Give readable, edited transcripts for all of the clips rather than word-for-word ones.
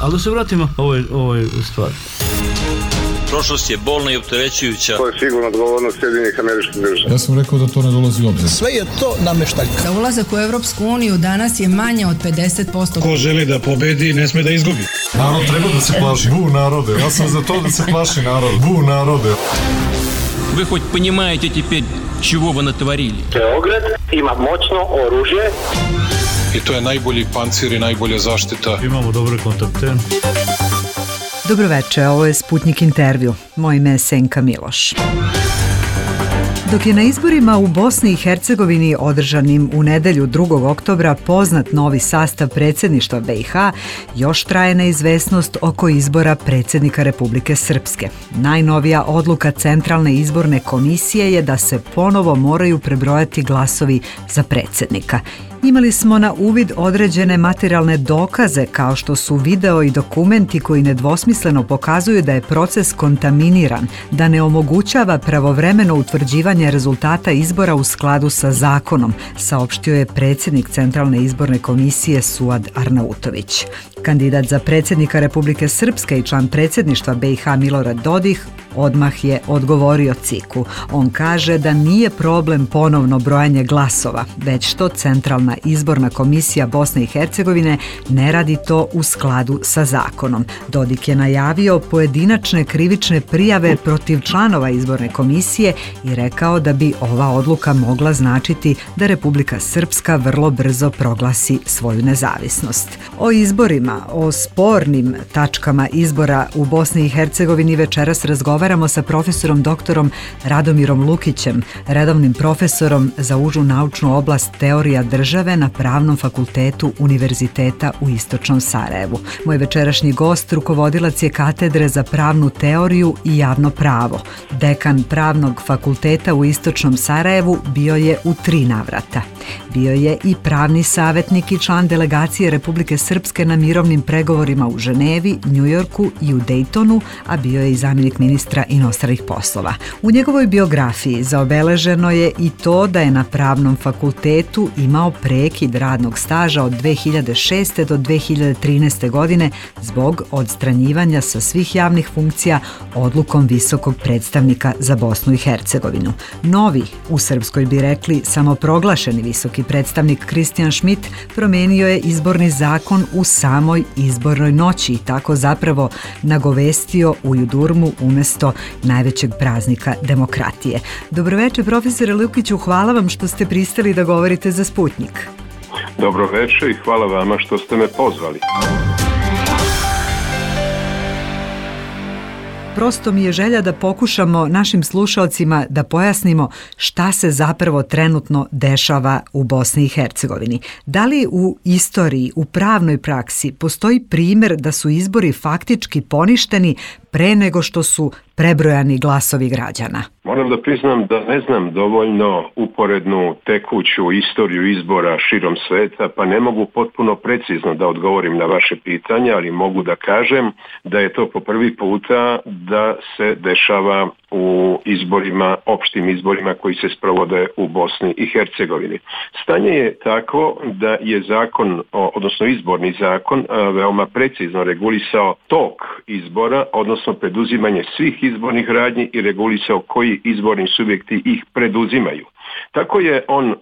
Ali da se vratimo ovoj stvari. Prošlost je bolna i opterećujuća. To je sigurno odgovornost Sjedinjenih Američkih Država. Ja sam rekao da to ne dolazi u obzir. Sve je to nameštaljka. Za ulazak u Evropsku uniju danas je manje od 50%. Ko želi da pobedi, ne sme da izgubi. Narod treba da se plaši. Bu narode. Ja sam za to da se plaši narod. Bu narode. Вы хоть понимаете теперь, чего вы натворили? Beograd ima moćno oružje. I to je najbolji pancir i najbolja zaštita. Imamo dobre kontakte. Dobroveče, ovo je Sputnik intervju. Moje ime je Senka Miloš. Dok je na izborima u Bosni i Hercegovini održanim u nedelju 2. oktobra poznat novi sastav predsjedništva BiH, još traje neizvesnost oko izbora predsjednika Republike Srpske. Najnovija odluka Centralne izborne komisije je da se ponovo moraju prebrojati glasovi za predsjednika. Imali smo na uvid određene materijalne dokaze kao što su video i dokumenti koji nedvosmisleno pokazuju da je proces kontaminiran, da ne omogućava pravovremeno utvrđivanje rezultata izbora u skladu sa zakonom, saopštio je predsjednik Centralne izborne komisije Suad Arnautović. Kandidat za predsjednika Republike Srpske i član predsjedništva BiH Milorad Dodik odmah je odgovorio CIK-u. On kaže da nije problem ponovno brojanje glasova, već što Centralna izborna komisija Bosne i Hercegovine ne radi to u skladu sa zakonom. Dodik je najavio pojedinačne krivične prijave protiv članova izborne komisije i rekao da bi ova odluka mogla značiti da Republika Srpska vrlo brzo proglasi svoju nezavisnost. O izborima, o spornim tačkama izbora u Bosni i Hercegovini večeras razgovaramo sa profesorom doktorom Radomirom Lukićem, redovnim profesorom za užu naučnu oblast teorija države na Pravnom fakultetu Univerziteta u Istočnom Sarajevu. Moj večerašnji gost, rukovodilac je katedre za pravnu teoriju i javno pravo. Dekan Pravnog fakulteta u Istočnom Sarajevu bio je u 3 navrata. Bio je i pravni savjetnik i član delegacije Republike Srpske na mirovnim pregovorima u Ženevi, Njujorku i u Dejtonu, a bio je i zamjenik ministra inostranih poslova. U njegovoj biografiji zaobeleženo je i to da je na Pravnom fakultetu imao prekid radnog staža od 2006. do 2013. godine zbog odstranjivanja sa svih javnih funkcija odlukom visokog predstavnika za Bosnu i Hercegovinu. Novi, u Srpskoj bi rekli samoproglašeni visoki predstavnik Kristijan Schmidt promijenio je izborni zakon u samoj izbornoj noći i tako zapravo nagovestio Ujudurmu umjesto najvećeg praznika demokratije. Dobroveče, profesore Lukiću, hvala vam što ste pristali da govorite za Sputnik. Dobroveče i hvala vama što ste me pozvali. Prosto mi je želja da pokušamo našim slušalcima da pojasnimo šta se zapravo trenutno dešava u Bosni i Hercegovini. Da li u istoriji, u pravnoj praksi postoji primjer da su izbori faktički poništeni pre nego što su prebrojani glasovi građana? Moram da priznam da ne znam dovoljno uporednu tekuću istoriju izbora širom sveta, pa ne mogu potpuno precizno da odgovorim na vaše pitanje, ali mogu da kažem da je to po prvi puta da se dešava u izborima, opštim izborima koji se sprovode u Bosni i Hercegovini. Stanje je tako da je zakon, odnosno izborni zakon, veoma precizno regulisao tok izbora, odnosno preduzimanje svih izbornih radnji i regulisao koji izborni subjekti ih preduzimaju. Tako je on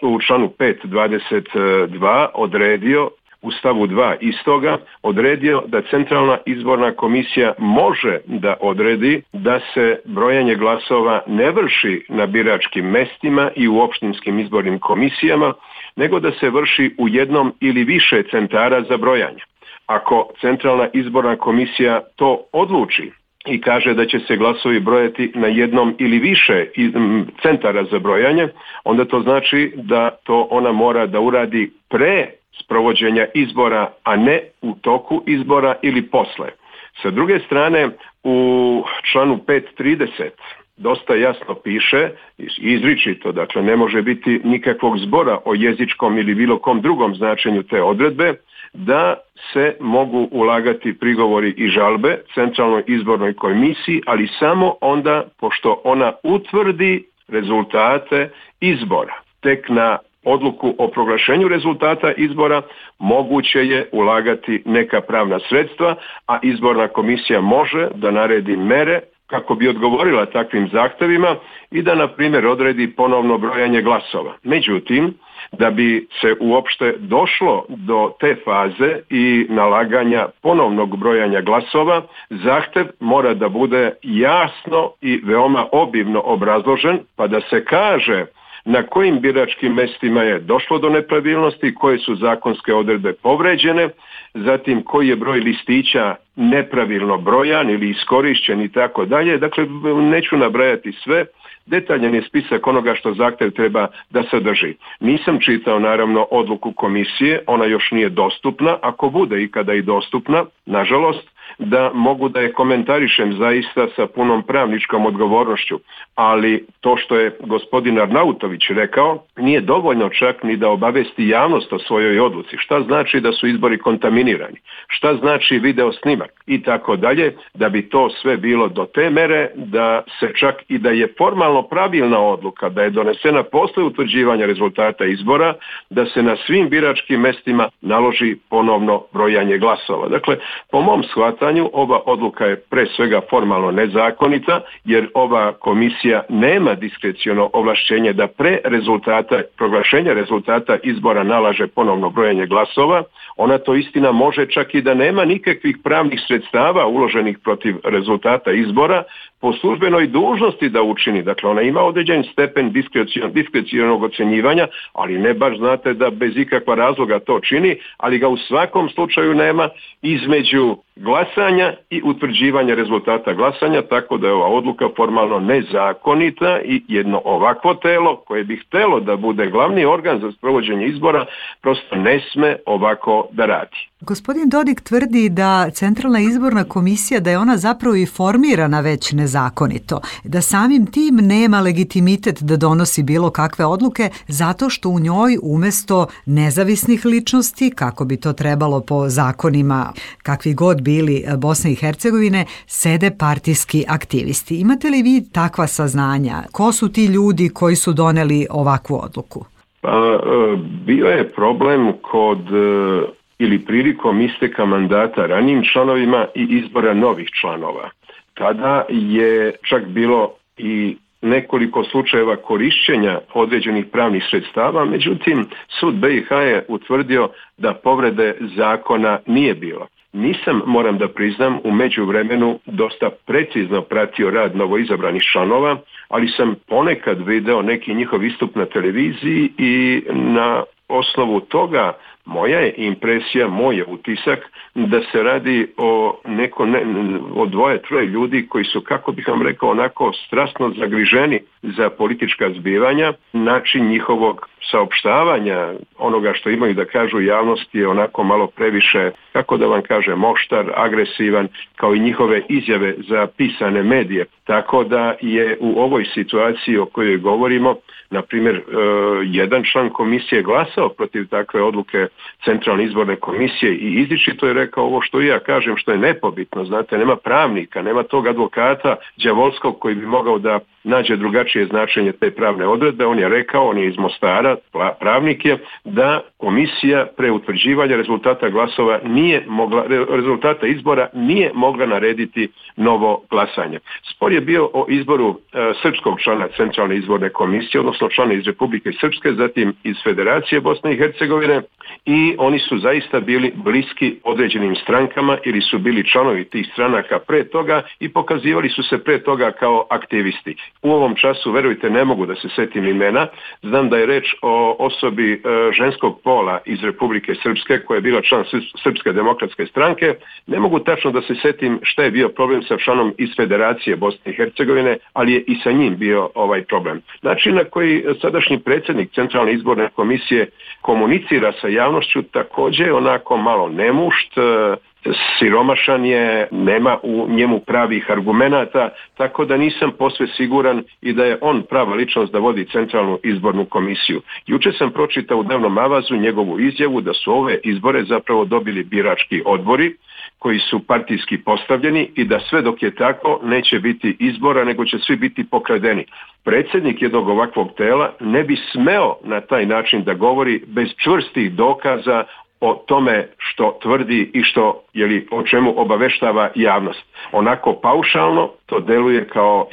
u članu 5.22 odredio, u stavu 2 istoga, odredio da Centralna izborna komisija može da odredi da se brojanje glasova ne vrši na biračkim mestima i u opštinskim izbornim komisijama, nego da se vrši u jednom ili više centara za brojanje. Ako Centralna izborna komisija to odluči i kaže da će se glasovi brojati na jednom ili više centara za brojanje, onda to znači da to ona mora da uradi pre sprovođenja izbora, a ne u toku izbora ili posle. Sa druge strane, u članu 5.30 dosta jasno piše, izričito, dakle ne može biti nikakvog zbora o jezičkom ili bilo kom drugom značenju te odredbe, da se mogu ulagati prigovori i žalbe Centralnoj izbornoj komisiji, ali samo onda pošto ona utvrdi rezultate izbora. Tek na odluku o proglašenju rezultata izbora moguće je ulagati neka pravna sredstva, a izborna komisija može da naredi mere kako bi odgovorila takvim zahtevima i da, na primjer, odredi ponovno brojanje glasova. Međutim, da bi se uopšte došlo do te faze i nalaganja ponovnog brojanja glasova, zahtev mora da bude jasno i veoma obimno obrazložen, pa da se kaže na kojim biračkim mestima je došlo do nepravilnosti, koje su zakonske odredbe povređene, zatim koji je broj listića nepravilno brojan ili iskorišćen i tako dalje. Dakle, neću nabrajati sve, detaljan je spisak onoga što zahtjev treba da sadrži. Nisam čitao naravno odluku komisije, ona još nije dostupna, ako bude ikada i dostupna, nažalost, da mogu da je komentarišem zaista sa punom pravničkom odgovornošću, ali to što je gospodin Arnautović rekao nije dovoljno čak ni da obavesti javnost o svojoj odluci. Šta znači da su izbori kontaminirani? Šta znači video snimak? I tako dalje, da bi to sve bilo do te mere da se čak i da je formalno pravilna odluka, da je donesena posle utvrđivanja rezultata izbora, da se na svim biračkim mestima naloži ponovno brojanje glasova. Dakle, po mom shvatanju ova odluka je pre svega formalno nezakonita, jer ova komisija nema diskreciono ovlašćenje da pre proglašenja rezultata izbora nalaže ponovno brojanje glasova. Ona to istina može čak i da nema nikakvih pravnih sredstava uloženih protiv rezultata izbora po službenoj dužnosti da učini. Dakle, ona ima određen stepen diskrecionog ocjenjivanja, ali ne baš znate da bez ikakva razloga to čini, ali ga u svakom slučaju nema između glasanja i utvrđivanja rezultata glasanja, tako da je ova odluka formalno nezakonita i jedno ovakvo telo koje bi htelo da bude glavni organ za sprovođenje izbora prosto ne sme ovako da radi. Gospodin Dodik tvrdi da Centralna izborna komisija, da je ona zapravo i formirana već nezakonito, da samim tim nema legitimitet da donosi bilo kakve odluke zato što u njoj umesto nezavisnih ličnosti, kako bi to trebalo po zakonima kakvi god bili Bosne i Hercegovine, sede partijski aktivisti. Imate li vi takva saznanja? Ko su ti ljudi koji su doneli ovakvu odluku? Bio je problem kod ili prilikom isteka mandata ranijim članovima i izbora novih članova. Tada je čak bilo i nekoliko slučajeva korišćenja određenih pravnih sredstava, međutim sud BiH je utvrdio da povrede zakona nije bilo. Nisam, moram da priznam, u međuvremenu dosta precizno pratio rad novoizabranih članova, ali sam ponekad video neki njihov istup na televiziji i na osnovu toga moja je impresija, moj je utisak da se radi o dvoje, troje ljudi koji su, kako bih vam rekao, onako strasno zagriženi za politička zbivanja. Način njihovog saopštavanja, onoga što imaju da kažu javnosti, je onako malo previše, kako da vam kažem, oštar, agresivan, kao i njihove izjave za pisane medije. Tako da je u ovoj situaciji o kojoj govorimo, na primjer, jedan član komisije glasao protiv takve odluke Centralne izborne komisije i izričito je rekao ovo što i ja kažem, što je nepobitno. Znate, nema pravnika, nema tog advokata đavolskog koji bi mogao da nađe drugačije značenje te pravne odredbe. On je rekao, on je iz Mostara, pravnik je, da komisija pre utvrđivanja rezultata glasova rezultata izbora nije mogla narediti novo glasanje. Spor je bio o izboru srpskog člana Centralne izborne komisije, odnosno člana iz Republike Srpske, zatim iz Federacije Bosne i Hercegovine, i oni su zaista bili bliski određenim strankama ili su bili članovi tih stranaka pre toga i pokazivali su se pre toga kao aktivisti. U ovom času, verujte, ne mogu da se setim imena. Znam da je reč o osobi ženskog pola iz Republike Srpske koja je bila član Srpske demokratske stranke. Ne mogu tačno da se setim šta je bio problem sa članom iz Federacije Bosne i Hercegovine, ali je i sa njim bio ovaj problem. Način na koji sadašnji predsjednik Centralne izborne komisije komunicira sa javnošću također onako malo nemušt, siromašan je, nema u njemu pravih argumenata, tako da nisam posve siguran i da je on prava ličnost da vodi Centralnu izbornu komisiju. Juče sam pročitao u dnevnom avazu njegovu izjavu da su ove izbore zapravo dobili birački odbori koji su partijski postavljeni i da sve dok je tako neće biti izbora, nego će svi biti pokradeni. Predsjednik jednog ovakvog tela ne bi smeo na taj način da govori bez čvrstih dokaza o tome što tvrdi i o čemu obaveštava javnost. Onako paušalno to deluje kao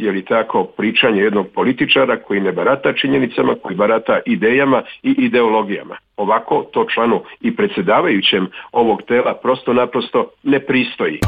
pričanje jednog političara koji ne barata činjenicama, koji barata idejama i ideologijama. Ovako to članu i predsjedavajućem ovog tela prosto naprosto ne pristoji.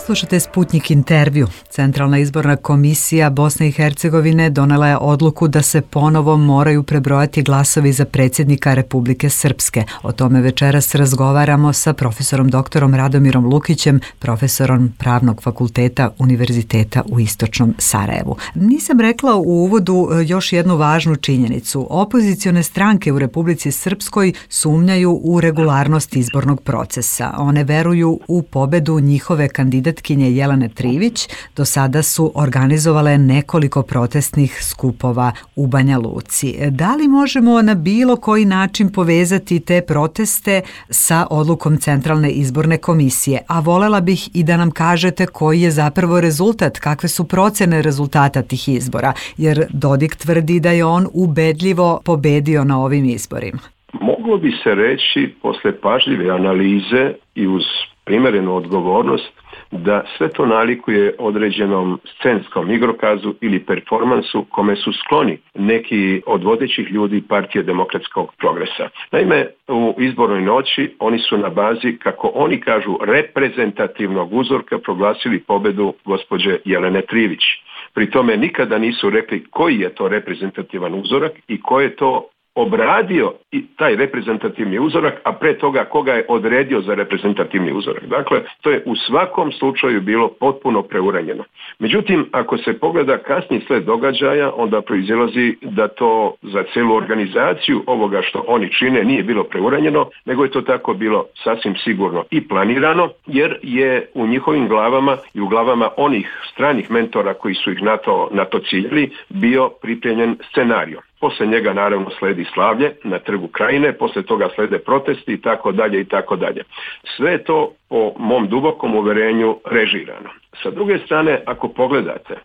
Slušate Sputnjik intervju. Centralna izborna komisija Bosne i Hercegovine donela je odluku da se ponovo moraju prebrojati glasovi za predsjednika Republike Srpske. O tome večeras razgovaramo sa profesorom doktorom Radomirom Lukićem, profesorom Pravnog fakulteta Univerziteta u Istočnom Sarajevu. Nisam rekla u uvodu još jednu važnu činjenicu. Opozicione stranke u Republici Srpskoj sumnjaju u regularnost izbornog procesa. One veruju u pobedu njihove kandidatkinje Jelene Trivić. Do sada su organizovale nekoliko protestnih skupova u Banja Luci. Da li možemo na bilo koji način povezati te proteste sa odlukom Centralne izborne komisije? A volela bih i da nam kažete koji je zapravo rezultat, kakve su procene rezultata tih izbora, jer Dodik tvrdi da je on ubedljivo pobedio na ovim izborima. Moglo bi se reći posle pažljive analize i uz primjerenu odgovornost da sve to nalikuje određenom scenskom igrokazu ili performansu kome su skloni neki od vodećih ljudi Partije demokratskog progresa. Naime, u izbornoj noći oni su na bazi, kako oni kažu, reprezentativnog uzorka proglasili pobedu gospođe Jelene Trivić. Pri tome nikada nisu rekli koji je to reprezentativan uzorak i ko je to obradio i taj reprezentativni uzorak, a pre toga koga je odredio za reprezentativni uzorak. Dakle, to je u svakom slučaju bilo potpuno preuranjeno. Međutim, ako se pogleda kasniji sled događaja, onda proizilazi da to za celu organizaciju ovoga što oni čine nije bilo preuranjeno, nego je to tako bilo sasvim sigurno i planirano, jer je u njihovim glavama i u glavama onih stranih mentora koji su ih na to ciljali bio pripremljen scenario. Posle njega naravno sledi slavlje na Trgu Krajine, posle toga slede protesti i tako dalje i tako dalje. Sve je to po mom dubokom uverenju režirano. Sa druge strane, ako pogledate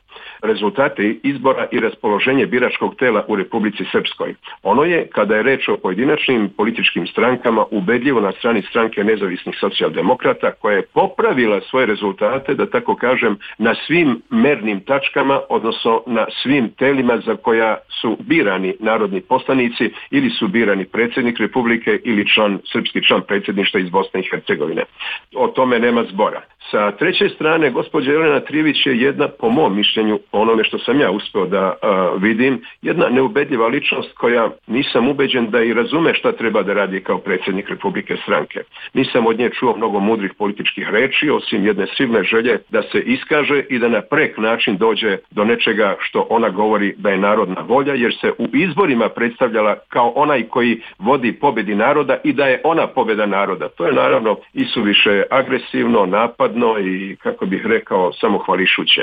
rezultate izbora i raspoloženje biračkog tela u Republici Srpskoj, ono je, kada je reč o pojedinačnim političkim strankama, ubedljivo na strani stranke nezavisnih socijaldemokrata, koja je popravila svoje rezultate, da tako kažem, na svim mernim tačkama, odnosno na svim telima za koja su birani narodni poslanici ili su birani predsjednik Republike ili srpski član predsjedništva iz Bosne i Hercegovine. O tome nema zbora. Sa treće strane, gospođa Jelena Trivić je jedna, po mom mišljenju, onome što sam ja uspio da vidim, jedna neubedljiva ličnost koja nisam ubeđen da i razume šta treba da radi kao predsjednik Republike stranke. Nisam od nje čuo mnogo mudrih političkih reči, osim jedne silne želje da se iskaže i da na prek način dođe do nečega što ona govori da je narodna volja, jer se u izborima predstavljala kao onaj koji vodi pobedi naroda i da je ona pobeda naroda. To je naravno isuviše agresivno, napadno i, kako bih rekao, samohvališuće.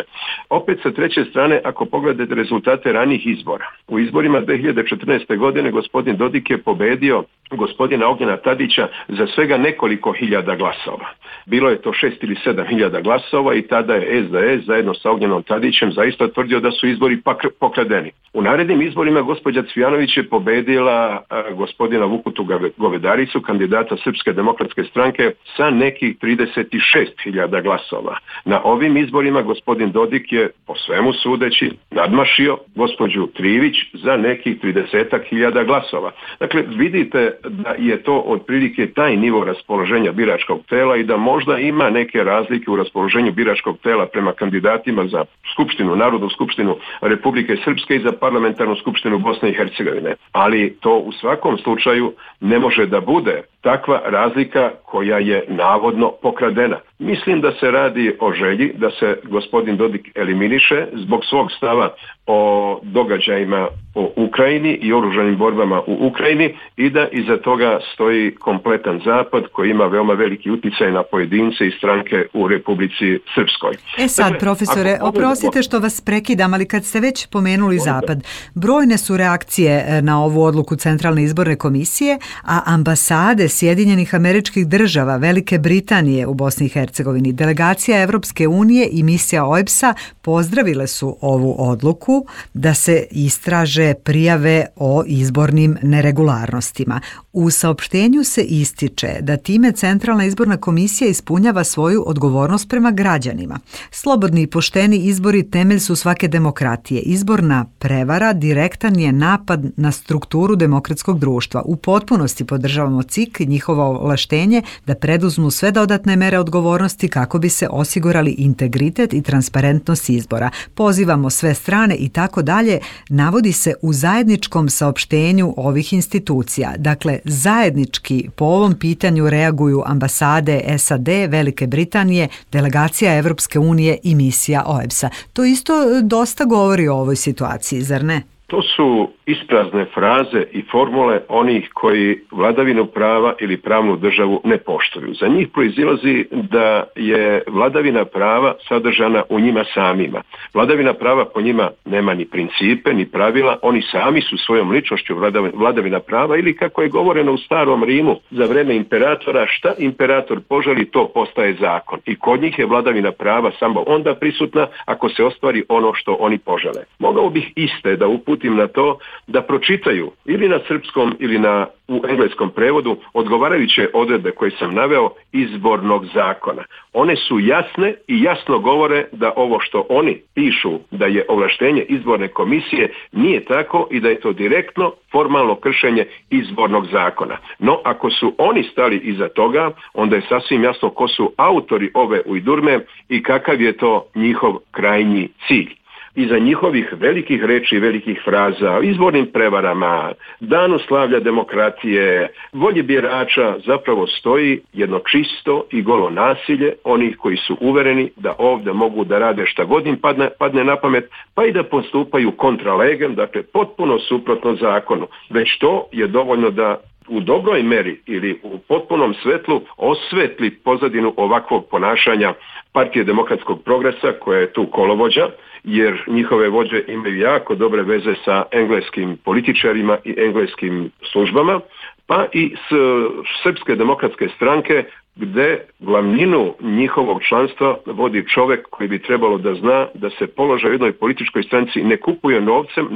Opet sa treće strane, ako pogledate rezultate ranijih izbora, u izborima 2014. godine gospodin Dodik je pobedio gospodina Ognjena Tadića za svega nekoliko hiljada glasova. Bilo je to 6 ili 7 hiljada glasova i tada je SDS zajedno sa Ognjenom Tadićem zaista tvrdio da su izbori pokradeni. U narednim izborima gospođa Cvijanović je pobedila gospodina Vukutu Govedaricu, kandidata Srpske demokratske stranke, sa nekih 36.000 glasova. Na ovim izborima gospodin Dodik je, po svemu sudeći, nadmašio gospođu Trivić za nekih 30.000 glasova. Dakle, vidite da je to otprilike taj nivo raspoloženja biračkog tela i da možda ima neke razlike u raspoloženju biračkog tela prema kandidatima za skupštinu, Narodnu skupštinu Republike Srpske i za parlamentarnu skupštinu Bosne i Hercegovine. Ali to u svakom slučaju ne može da bude takva razlika koja je navodno pokradena. Mislim da se radi o želji da se gospodin Dodik eliminiše zbog svog stava o događajima u Ukrajini i oružanim borbama u Ukrajini i da iza toga stoji kompletan zapad koji ima veoma veliki utjecaj na pojedince i stranke u Republici Srpskoj. Sad, profesore, oprostite što vas prekidam, ali kad ste već pomenuli zapad, brojne su reakcije na ovu odluku Centralne izborne komisije, a ambasade Sjedinjenih Američkih Država, Velike Britanije u Bosni i Hercegovini, delegacija Evropske unije i misija OEBS-a pozdravile su ovu odluku da se istraže prijave o izbornim neregularnostima. U saopštenju se ističe da time Centralna izborna komisija ispunjava svoju odgovornost prema građanima. Slobodni i pošteni izbori temelj su svake demokratije. Izborna prevara direktan je napad na strukturu demokratskog društva. U potpunosti podržavamo CIK i njihovo ovlaštenje da preduzmu sve dodatne mere odgovornosti kako bi se osigurali integritet i transparentnost izbora. Pozivamo sve strane i tako dalje, navodi se u zajedničkom saopštenju ovih institucija. Dakle, zajednički po ovom pitanju reaguju ambasade SAD, Velike Britanije, delegacija Evropske unije i misija OEBS-a. To isto dosta govori o ovoj situaciji, zar ne? To su isprazne fraze i formule onih koji vladavinu prava ili pravnu državu ne poštuju. Za njih proizilazi da je vladavina prava sadržana u njima samima. Vladavina prava po njima nema ni principe, ni pravila, oni sami su svojom ličnošću vladavina prava ili kako je govoreno u starom Rimu za vreme imperatora, šta imperator poželi, to postaje zakon. I kod njih je vladavina prava samo onda prisutna ako se ostvari ono što oni požele. Mogao bih iste da uputim na to da pročitaju ili na srpskom ili u engleskom prevodu odgovarajuće odredbe koje sam naveo izbornog zakona. One su jasne i jasno govore da ovo što oni pišu da je ovlaštenje izborne komisije nije tako i da je to direktno formalno kršenje izbornog zakona. No, ako su oni stali iza toga, onda je sasvim jasno ko su autori ove ujdurme i kakav je to njihov krajnji cilj. Iza njihovih velikih reči i velikih fraza o izbornim prevarama, danu slavlja demokratije, volji birača zapravo stoji jedno čisto i golo nasilje onih koji su uvereni da ovdje mogu da rade šta god im padne na pamet, pa i da postupaju kontra legem, dakle potpuno suprotno zakonu. Već to je dovoljno da u dobroj meri ili u potpunom svetlu osvetli pozadinu ovakvog ponašanja Partije demokratskog progresa koja je tu kolovođa, jer njihove vođe imaju jako dobre veze sa engleskim političarima i engleskim službama, pa i s Srpske demokratske stranke gdje glavninu njihovog članstva vodi čovjek koji bi trebalo da zna da se položaj u jednoj političkoj stranci ne kupuje novcem,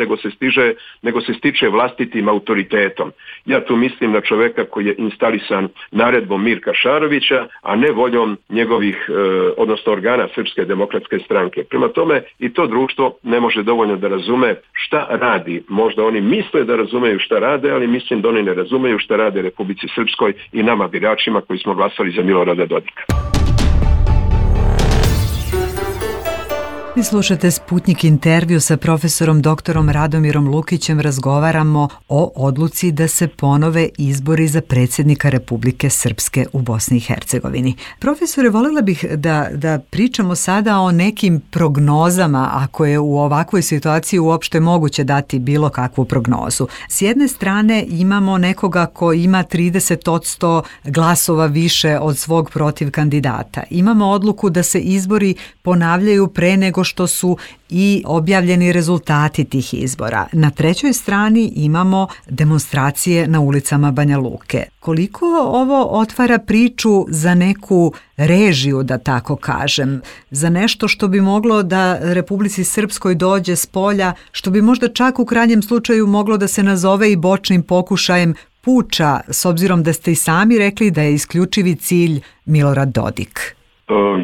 nego se stiče vlastitim autoritetom. Ja tu mislim na čovjeka koji je instalisan naredbom Mirka Šarovića, a ne voljom njegovih, odnosno organa Srpske demokratske stranke. Prema tome i to društvo ne može dovoljno da razume šta radi. Možda oni misle da razumeju šta rade, ali mislim da oni ne razumeju šta rade Republici Srpskoj i nama biračima koji smo glasali za Milorada Dodika. Vi slušate Sputnik intervju sa profesorom doktorom Radomirom Lukićem. Razgovaramo o odluci da se ponove izbori za predsjednika Republike Srpske u Bosni i Hercegovini. Profesore, voljela bih da pričamo sada o nekim prognozama, ako je u ovakvoj situaciji uopšte moguće dati bilo kakvu prognozu. S jedne strane imamo nekoga ko ima 30% glasova više od svog protiv kandidata. Imamo odluku da se izbori ponavljaju pre nego što su i objavljeni rezultati tih izbora. Na trećoj strani imamo demonstracije na ulicama Banja Luke. Koliko ovo otvara priču za neku režiju, da tako kažem, za nešto što bi moglo da Republici Srpskoj dođe s polja, što bi možda čak u krajnjem slučaju moglo da se nazove i bočnim pokušajem puča, s obzirom da ste i sami rekli da je isključivi cilj Milorad Dodik?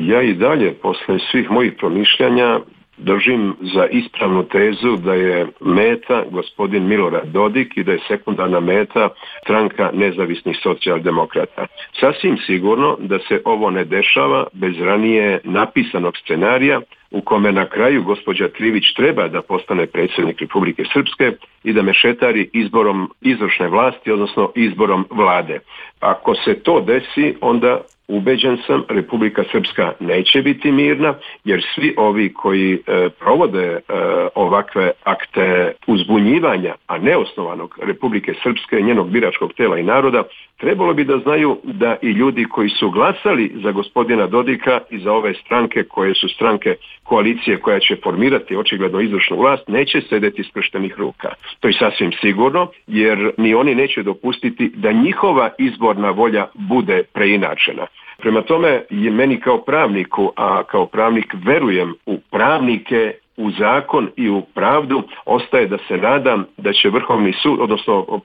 Ja i dalje, posle svih mojih promišljanja, držim za ispravnu tezu da je meta gospodin Milorad Dodik i da je sekundarna meta stranka nezavisnih socijaldemokrata. Sasvim sigurno da se ovo ne dešava bez ranije napisanog scenarija u kome na kraju gospođa Trivić treba da postane predsjednik Republike Srpske i da mešetari izborom izvršne vlasti, odnosno izborom vlade. Ako se to desi, onda ubeđen sam, Republika Srpska neće biti mirna, jer svi ovi koji provode ovakve akte uzbunjivanja, a neosnovanog Republike Srpske, njenog biračkog tela i naroda, trebalo bi da znaju da i ljudi koji su glasali za gospodina Dodika i za ove stranke koje su stranke koalicije koja će formirati očigledno izvršnu vlast neće sedeti skrštenih ruka. To je sasvim sigurno, jer ni oni neće dopustiti da njihova izborna volja bude preinačena. Prema tome, je meni kao pravniku, a kao pravnik verujem u pravnike, u zakon i u pravdu, ostaje da se nadam da će Vrhovni sud, odnosno,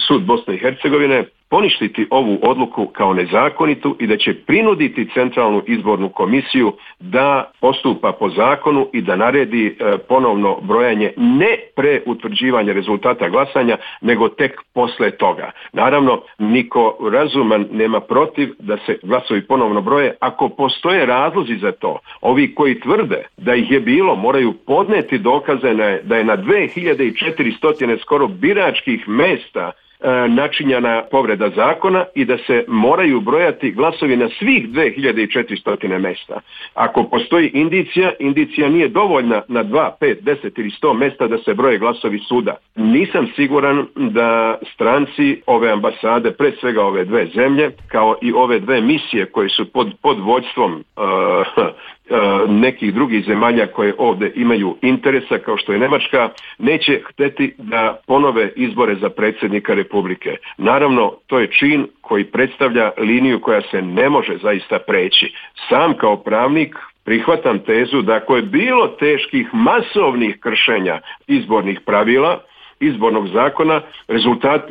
sud Bosne i Hercegovine poništiti ovu odluku kao nezakonitu i da će prinuditi Centralnu izbornu komisiju da postupa po zakonu i da naredi ponovno brojanje ne pre utvrđivanja rezultata glasanja, nego tek posle toga. Naravno, niko razuman nema protiv da se glasovi ponovno broje ako postoje razlozi za to. Ovi koji tvrde da ih je bilo moraju podneti dokaze da je na 2400 skoro biračkih mesta načinjena povreda zakona i da se moraju brojati glasovi na svih 2400 mesta. Ako postoji indicija nije dovoljna na 2, 5, 10 ili 100 mesta da se broje glasovi suda. Nisam siguran da stranci ove ambasade, pre svega ove dve zemlje, kao i ove dve misije koje su pod vođstvom nekih drugih zemalja koje ovdje imaju interesa, kao što je Njemačka, neće hteti da ponove izbore za predsjednika Republike. Naravno, to je čin koji predstavlja liniju koja se ne može zaista preći. Sam kao pravnik prihvatam tezu da ako je bilo teških masovnih kršenja izbornih pravila, izbornog zakona,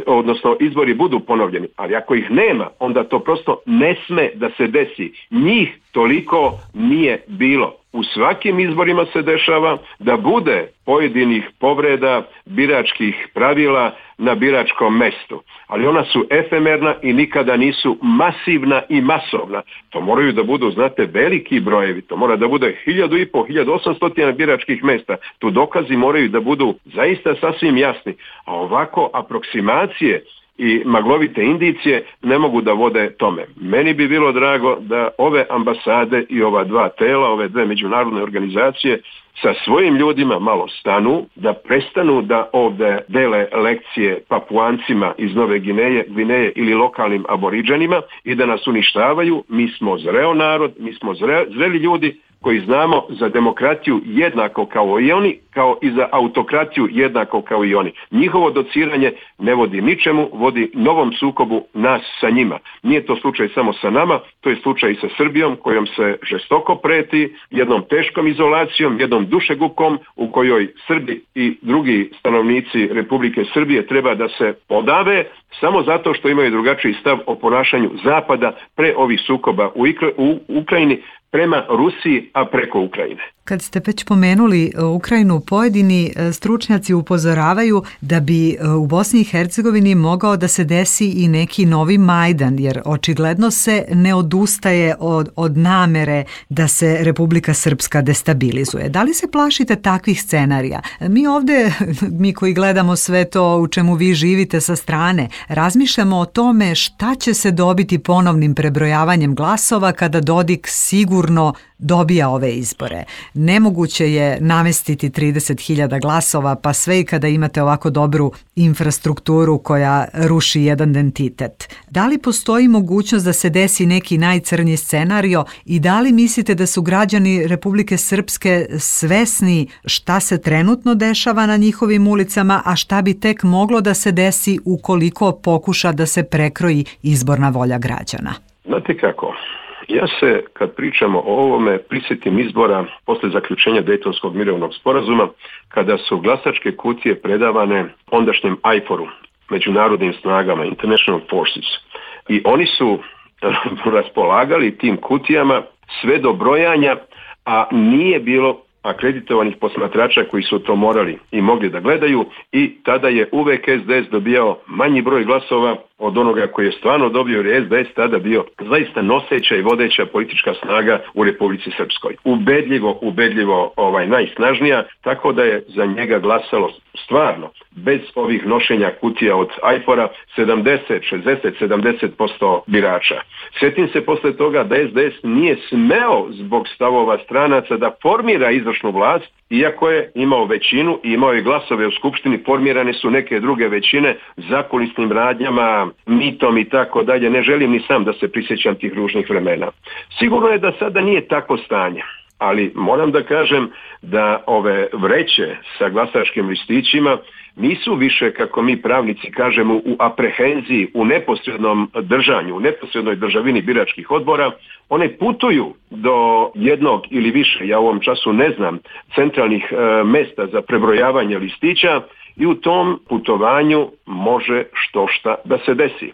odnosno izbori budu ponovljeni, ali ako ih nema, onda to prosto ne sme da se desi. Njih toliko nije bilo. U svakim izborima se dešava da bude pojedinih povreda biračkih pravila na biračkom mestu, ali ona su efemerna i nikada nisu masivna i masovna. To moraju da budu, znate, veliki brojevi, to mora da bude 1500, 1800 biračkih mesta. Tu dokazi moraju da budu zaista sasvim jasni, a ovako aproksimacije i maglovite indicije ne mogu da vode tome. Meni bi bilo drago da ove ambasade i ova dva tela, ove dve međunarodne organizacije sa svojim ljudima malo stanu, da prestanu da ovdje dele lekcije Papuancima iz Nove Gvineje ili lokalnim aboriđanima i da nas uništavaju. Mi smo zreo narod, mi smo zreli ljudi koji znamo za demokratiju jednako kao i oni, kao i za autokratiju jednako kao i oni. Njihovo dociranje ne vodi ničemu, vodi novom sukobu nas sa njima. Nije to slučaj samo sa nama, to je slučaj i sa Srbijom, kojom se žestoko preti, jednom teškom izolacijom, jednom dušegupkom u kojoj Srbi i drugi stanovnici Republike Srbije treba da se podave samo zato što imaju drugačiji stav o ponašanju Zapada pre ovih sukoba u Ukrajini, prema Rusiji, a preko Ukrajine. Kad ste već pomenuli Ukrajinu, pojedini stručnjaci upozoravaju da bi u Bosni i Hercegovini mogao da se desi i neki novi Majdan, jer očigledno se ne odustaje od namere da se Republika Srpska destabilizuje. Da li se plašite takvih scenarija? Mi ovdje, mi koji gledamo sve to u čemu vi živite sa strane, razmišljamo o tome šta će se dobiti ponovnim prebrojavanjem glasova kada Dodik sigurno dobija ove izbore. Nemoguće je namestiti 30.000 glasova, pa sve i kada imate ovako dobru infrastrukturu koja ruši jedan identitet. Da li postoji mogućnost da se desi neki najcrnji scenario i da li mislite da su građani Republike Srpske svesni šta se trenutno dešava na njihovim ulicama, a šta bi tek moglo da se desi ukoliko pokuša da se prekroji izborna volja građana? Znate kako? Ja se, kad pričamo o ovome, prisjetim izbora posle zaključenja Dejtonskog mirovnog sporazuma, kada su glasačke kutije predavane ondašnjem IFOR-u, međunarodnim snagama, International Forces. I oni su raspolagali tim kutijama sve do brojanja, a nije bilo akreditovanih posmatrača koji su to morali i mogli da gledaju, i tada je uvek SDS dobijao manji broj glasova od onoga koji je stvarno dobio, jer je SDS tada bio zaista noseća i vodeća politička snaga u Republici Srpskoj. Ubedljivo najsnažnija, tako da je za njega glasalo stvarno, bez ovih nošenja kutija od IFOR-a, 70% birača. Sjetim se posle toga da SDS nije smeo zbog stavova stranaca da formira izvršnu vlast, iako je imao većinu i imao je glasove u Skupštini. Formirane su neke druge većine zakulisnim radnjama, mitom i tako dalje. Ne želim ni sam da se prisjećam tih ružnih vremena. Sigurno je da sada nije takvo stanje, ali moram da kažem da ove vreće sa glasačkim listićima nisu više, kako mi pravnici kažemo, u aprehenziji, u neposrednom držanju, u neposrednoj državini biračkih odbora. One putuju do jednog ili više, ja u ovom času ne znam, centralnih mesta za prebrojavanje listića i u tom putovanju može štošta da se desi.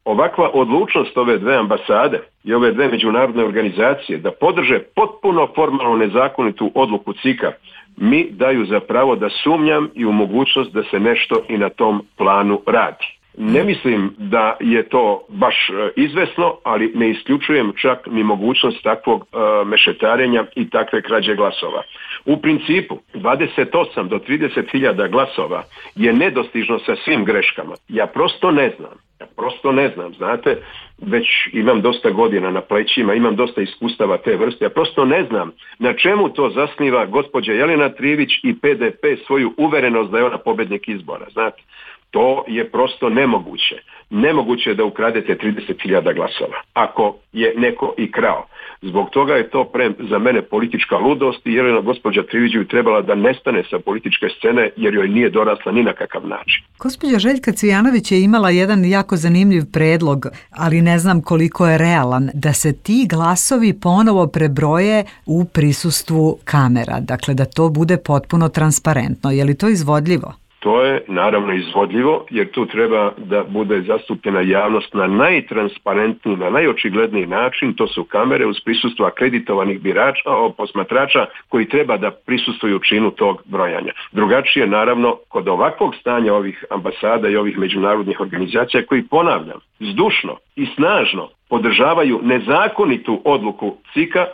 Ovakva odlučnost ove dve ambasade i ove dve međunarodne organizacije da podrže potpuno formalno nezakonitu odluku CIK-a mi daju za pravo da sumnjam i u mogućnost da se nešto i na tom planu radi. Ne mislim da je to baš izvesno, ali ne isključujem čak ni mogućnost takvog mešetarenja i takve krađe glasova. U principu 28 do 30 hiljada glasova je nedostižno sa svim greškama. Ja prosto ne znam, znate, već imam dosta godina na plećima, imam dosta iskustava te vrste, ja prosto ne znam na čemu to zasniva gospođa Jelena Trivić i PDP svoju uverenost da je ona pobednik izbora, znate. To je prosto nemoguće. Nemoguće je da ukradete 30.000 glasova, ako je neko i krao. Zbog toga je to za mene politička ludost i Jelena gospođa Trivić bi trebala da nestane sa političke scene jer joj nije dorasla ni na kakav način. Gospođa Željka Cvijanović je imala jedan jako zanimljiv predlog, ali ne znam koliko je realan, da se ti glasovi ponovo prebroje u prisustvu kamera, dakle da to bude potpuno transparentno. Je li to izvodljivo? To je naravno izvodljivo jer tu treba da bude zastupljena javnost na najtransparentniji, na najočigledniji način, to su kamere uz prisustvo akreditovanih posmatrača koji treba da prisustvuju činu tog brojanja. Drugačije naravno kod ovakvog stanja ovih ambasada i ovih međunarodnih organizacija koji, ponavljam, zdušno i snažno podržavaju nezakonitu odluku CIK-a,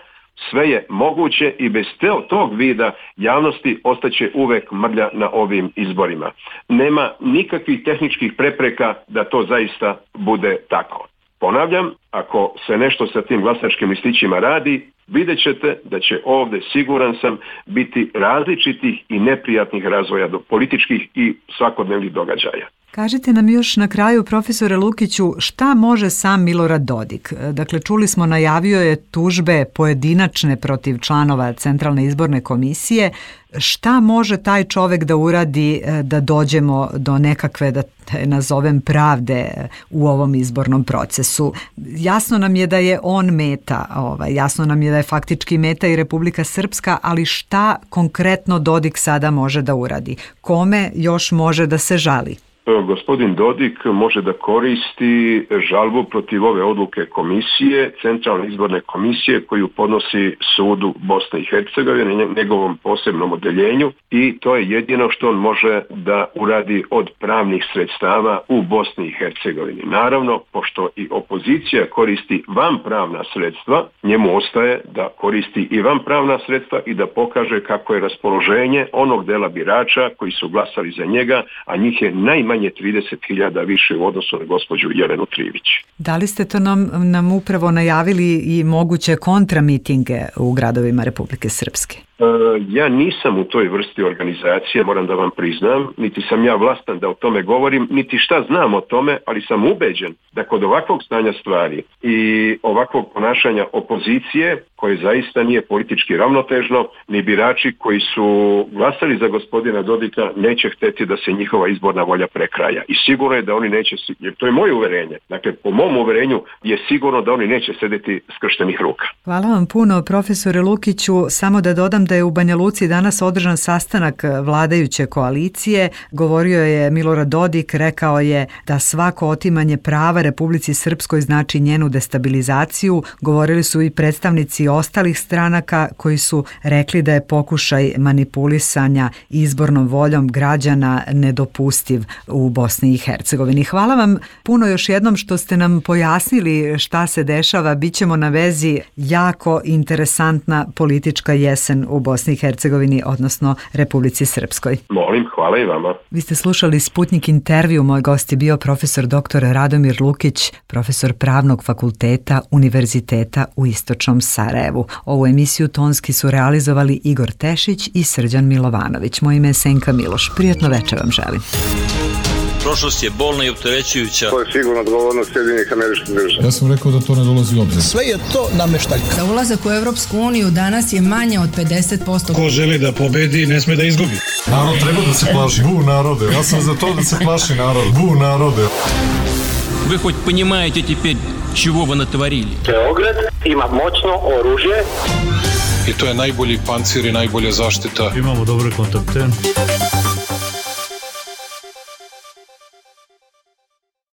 sve je moguće i bez tog vida javnosti ostaće uvek mrlja na ovim izborima. Nema nikakvih tehničkih prepreka da to zaista bude tako. Ponavljam, ako se nešto sa tim glasačkim listićima radi, vidjet ćete da će ovdje, siguran sam, biti različitih i neprijatnih razvoja političkih i svakodnevnih događaja. Kažite nam još na kraju, profesore Lukiću, šta može sam Milorad Dodik? Dakle, čuli smo, najavio je tužbe pojedinačne protiv članova Centralne izborne komisije. Šta može taj čovjek da uradi da dođemo do nekakve, da nazovem, pravde u ovom izbornom procesu? Jasno nam je da je on meta, jasno nam je da je faktički meta i Republika Srpska, ali šta konkretno Dodik sada može da uradi? Kome još može da se žali? Gospodin Dodik može da koristi žalbu protiv ove odluke komisije, Centralne izborne komisije, koju podnosi sudu Bosne i Hercegovine, njegovom posebnom odeljenju, i to je jedino što on može da uradi od pravnih sredstava u Bosni i Hercegovini. Naravno, pošto i opozicija koristi vanpravna sredstva, njemu ostaje da koristi i vanpravna sredstva i da pokaže kako je raspoloženje onog dela birača koji su glasali za njega, a njih je najmanje 30.000 više u odnosu na gospođu Jelenu Trivić. Da li ste to nam upravo najavili i moguće kontramitinge u gradovima Republike Srpske? Ja nisam u toj vrsti organizacije, moram da vam priznam, niti sam ja vlastan da o tome govorim, niti šta znam o tome, ali sam ubeđen da kod ovakvog stanja stvari i ovakvog ponašanja opozicije, koje zaista nije politički ravnotežno, ni birači koji su glasali za gospodina Dodika neće hteti da se njihova izborna volja prekraja. I sigurno je da oni neće, jer to je moje uverenje, dakle po mom uverenju je sigurno da oni neće sedeti skrštenih ruka. Hvala vam puno, profesore Lukiću. Samo da dodam da je u Banja Luci danas održan sastanak vladajuće koalicije. Govorio je Milorad Dodik, rekao je da svako otimanje prava Republici Srpskoj znači njenu destabilizaciju. Govorili su i predstavnici ostalih stranaka koji su rekli da je pokušaj manipulisanja izbornom voljom građana nedopustiv u Bosni i Hercegovini. Hvala vam puno još jednom što ste nam pojasnili šta se dešava. Bićemo na vezi, jako interesantna politička jesen u Bosni i Hercegovini, odnosno Republici Srpskoj. Molim, hvala i vama. Vi ste slušali Sputnik intervju. Moj gost je bio profesor dr. Radomir Lukić, profesor Pravnog fakulteta Univerziteta u Istočnom Sarajevu. Ovu emisiju tonski su realizovali Igor Tešić i Srđan Milovanović. Moje ime je Senka Miloš. Prijatno večer vam želim. Prošlost je bolna i opterećujuća. To je sigurno odgovornost Sjedinjenih Američkih Država. Ja sam rekao da to ne dolazi u obzir. Sve je to nameštaljka. Za ulazak u Europsku uniju danas je manje od 50%. Ko želi da pobedi, ne sme da izgubi. Narod treba da se plaši. Bu narode. Ja sam za to da se plaši narod. Bu narode. Вы хоть понимаете теперь, чего вы натворили? Beograd ima moćno oružje. I to je najbolji pancir i najbolja zaštita. Imamo dobre kontakte.